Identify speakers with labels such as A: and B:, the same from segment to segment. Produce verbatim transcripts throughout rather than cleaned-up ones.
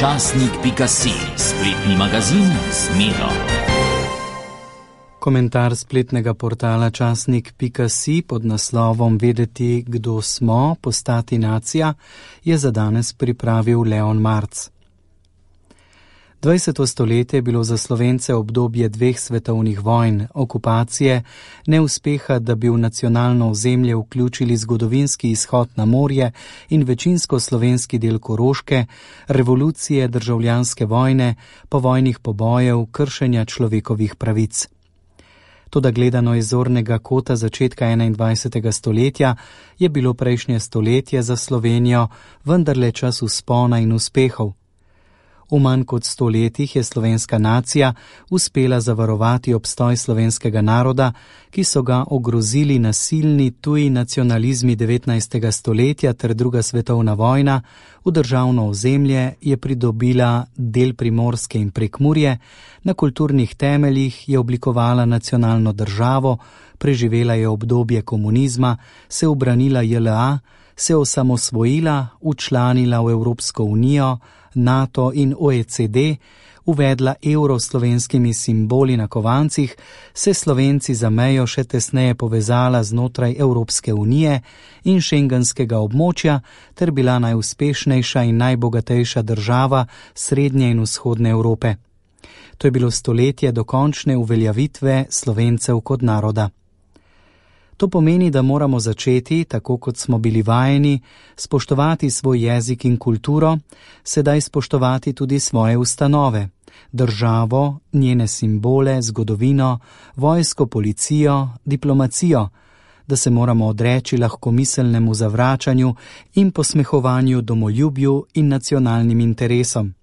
A: časnik pika si, spletni magazin z Miro.
B: Komentar spletnega portala časnik pika si pod naslovom Vedeti, kdo smo, postati nacija, je za danes pripravil Leon Marc. dvajseto stoletje je bilo za Slovence obdobje dveh svetovnih vojn, okupacije, neuspeha, da bi v nacionalno ozemlje vključili zgodovinski izhod na morje in večinsko slovenski del Koroške, revolucije, državljanske vojne, povojnih pobojev, kršenja človekovih pravic. Toda gledano iz zornega kota začetka enaindvajsetega stoletja je bilo prejšnje stoletje za Slovenijo vendarle čas vzpona in uspehov. V manj kot sto letih je slovenska nacija uspela zavarovati obstoj slovenskega naroda, ki so ga ogrozili nasilni tuji nacionalizmi devetnajstega stoletja ter druga svetovna vojna. V državno ozemlje je pridobila del Primorske in Prekmurje, na kulturnih temeljih je oblikovala nacionalno državo, preživela je obdobje komunizma, se ubranila J L A, se osamosvojila, včlanila v Evropsko unijo, NATO in O E C D, uvedla evro s slovenskimi simboli na kovancih, se Slovenci za mejo še tesneje povezala znotraj Evropske unije in šengenskega območja ter bila najuspešnejša in najbogatejša država srednje in vzhodne Evrope. To je bilo stoletje dokončne uveljavitve Slovencev kot naroda. To pomeni, da moramo začeti, tako kot smo bili vajeni, spoštovati svoj jezik in kulturo, sedaj spoštovati tudi svoje ustanove, državo, njene simbole, zgodovino, vojsko, policijo, diplomacijo, da se moramo odreči lahkomiselnemu zavračanju in posmehovanju domoljubju in nacionalnim interesom.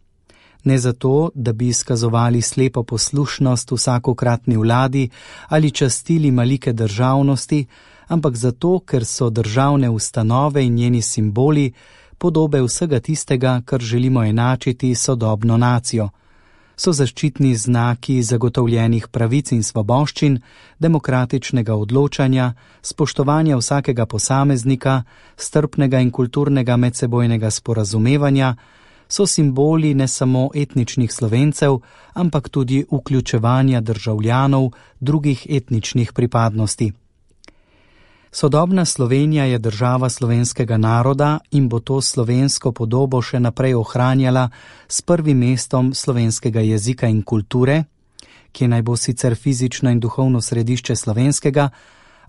B: Ne zato, da bi izkazovali slepo poslušnost vsakokratni vladi ali častili malike državnosti, ampak zato, ker so državne ustanove in njeni simboli podobe vsega tistega, kar želimo enačiti sodobno nacijo. So zaščitni znaki zagotovljenih pravic in svoboščin, demokratičnega odločanja, spoštovanja vsakega posameznika, strpnega in kulturnega medsebojnega sporazumevanja, so simboli ne samo etničnih Slovencev, ampak tudi vključevanja državljanov drugih etničnih pripadnosti. Sodobna Slovenija je država slovenskega naroda in bo to slovensko podobo še naprej ohranjala s prvim mestom slovenskega jezika in kulture, ki naj bo sicer fizično in duhovno središče slovenskega,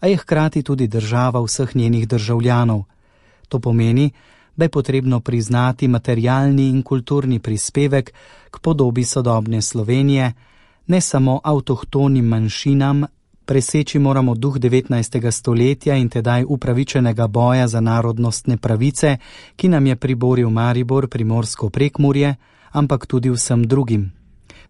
B: a je hkrati tudi država vseh njenih državljanov. To pomeni, da je potrebno priznati materialni in kulturni prispevek k podobi sodobne Slovenije, ne samo avtohtonim manjšinam, preseči moramo duh devetnajstega stoletja in tedaj upravičenega boja za narodnostne pravice, ki nam je priboril Maribor, Primorsko Prekmurje, ampak tudi vsem drugim.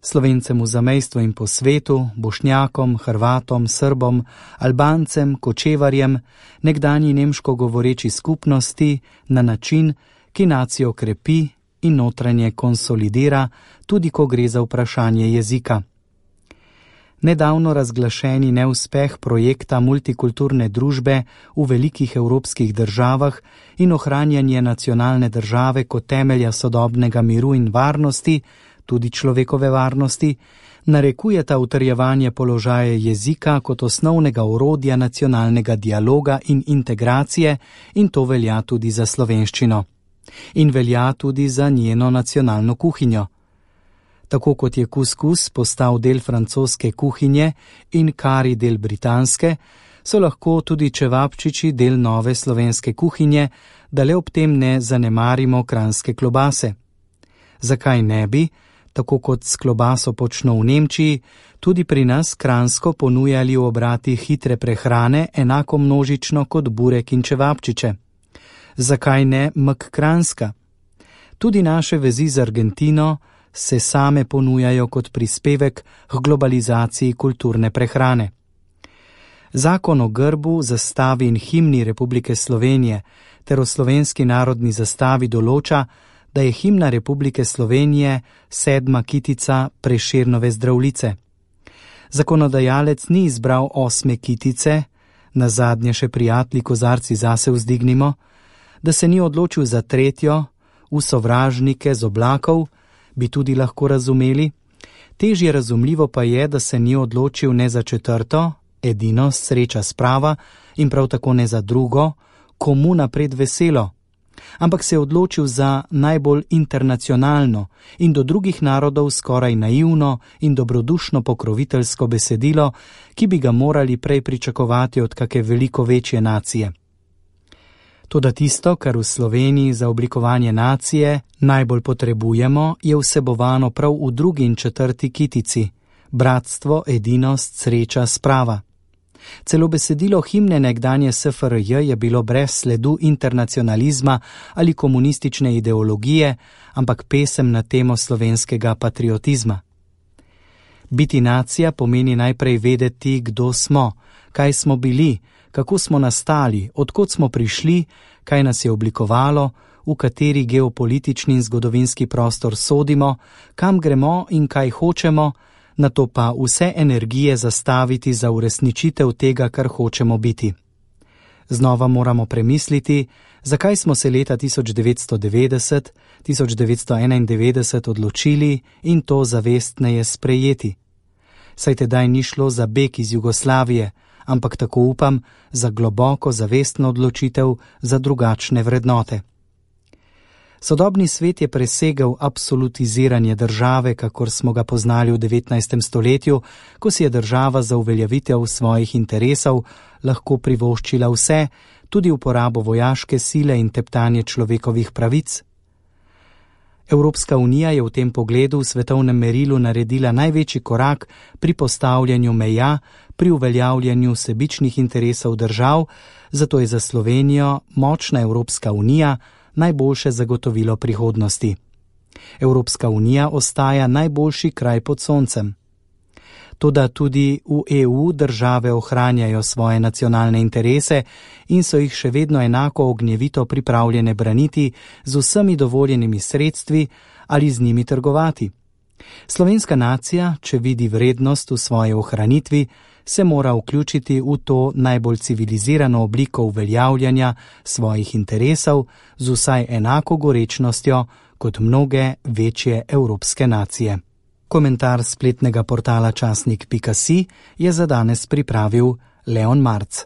B: Slovencem v zamejstvu in po svetu, Bošnjakom, Hrvatom, Srbom, Albancem, Kočevarjem, nekdanji nemško govoreči skupnosti na način, ki nacijo krepi in notranje konsolidira, tudi ko gre za vprašanje jezika. Nedavno razglašeni neuspeh projekta multikulturne družbe v velikih evropskih državah in ohranjanje nacionalne države kot temelja sodobnega miru in varnosti, tudi človekove varnosti, narekujeta utrjevanje položaja jezika kot osnovnega orodja nacionalnega dialoga in integracije, in to velja tudi za slovenščino. In velja tudi za njeno nacionalno kuhinjo. Tako kot je kuskus postal del francoske kuhinje in kari del britanske, so lahko tudi čevapčiči del nove slovenske kuhinje, da le ob tem ne zanemarimo kranjske klobase. Zakaj ne bi, tako kot s klobaso počno v Nemčiji, tudi pri nas kranjsko ponujali v obratih hitre prehrane enako množično kot burek in čevapčiče? Zakaj ne mek kranjska? Tudi naše vezi z Argentino se same ponujajo kot prispevek k globalizaciji kulturne prehrane. Zakon o grbu, zastavi in himni Republike Slovenije ter o slovenski narodni zastavi določa, da je himna Republike Slovenije sedma kitica Prešernove Zdravljice. Zakonodajalec ni izbral osme kitice, nazadnje še prijatelji kozarci zase vzdignimo, da se ni odločil za tretjo, v sovražnike z oblakov, bi tudi lahko razumeli. Težje razumljivo pa je, da se ni odločil ne za četrto, edinost, sreča, sprava in prav tako ne za drugo, komu napred veselo, ampak se je odločil za najbolj internacionalno in do drugih narodov skoraj naivno in dobrodušno pokroviteljsko besedilo, ki bi ga morali prej pričakovati od kake veliko večje nacije. Toda tisto, kar v Sloveniji za oblikovanje nacije najbolj potrebujemo, je vsebovano prav v drugi in četrti kitici: bratstvo, edinost, sreča, sprava. Celo besedilo himne nekdanje S F R J je bilo brez sledu internacionalizma ali komunistične ideologije, ampak pesem na temo slovenskega patriotizma. Biti nacija pomeni najprej vedeti, kdo smo, kaj smo bili, kako smo nastali, odkot smo prišli, kaj nas je oblikovalo, v kateri geopolitični in zgodovinski prostor sodimo, kam gremo in kaj hočemo, nato pa vse energije zastaviti za uresničitev tega, kar hočemo biti. Znova moramo premisliti, zakaj smo se leta tisoč devetsto devetdeset, tisoč devetsto enaindevetdeset odločili in to zavestneje sprejeti. Saj tedaj ni šlo za beg iz Jugoslavije, ampak tako upam, za globoko zavestno odločitev za drugačne vrednote. Sodobni svet je presegel absolutiziranje države, kakor smo ga poznali v devetnajstem stoletju, ko si je država za uveljavitev svojih interesov lahko privoščila vse, tudi uporabo vojaške sile in teptanje človekovih pravic. Evropska unija je v tem pogledu v svetovnem merilu naredila največji korak pri postavljanju meja, pri uveljavljanju sebičnih interesov držav, zato je za Slovenijo močna Evropska unija najboljše zagotovilo prihodnosti. Evropska unija ostaja najboljši kraj pod soncem. Toda tudi v E U države ohranjajo svoje nacionalne interese in so jih še vedno enako ognjevito pripravljene braniti z vsemi dovoljenimi sredstvi ali z njimi trgovati. Slovenska nacija, če vidi vrednost v svoji ohranitvi, se mora vključiti v to najbolj civilizirano obliko uveljavljanja svojih interesov z vsaj enako gorečnostjo kot mnoge večje evropske nacije. Komentar spletnega portala časnik pika si je za danes pripravil Leon Marc.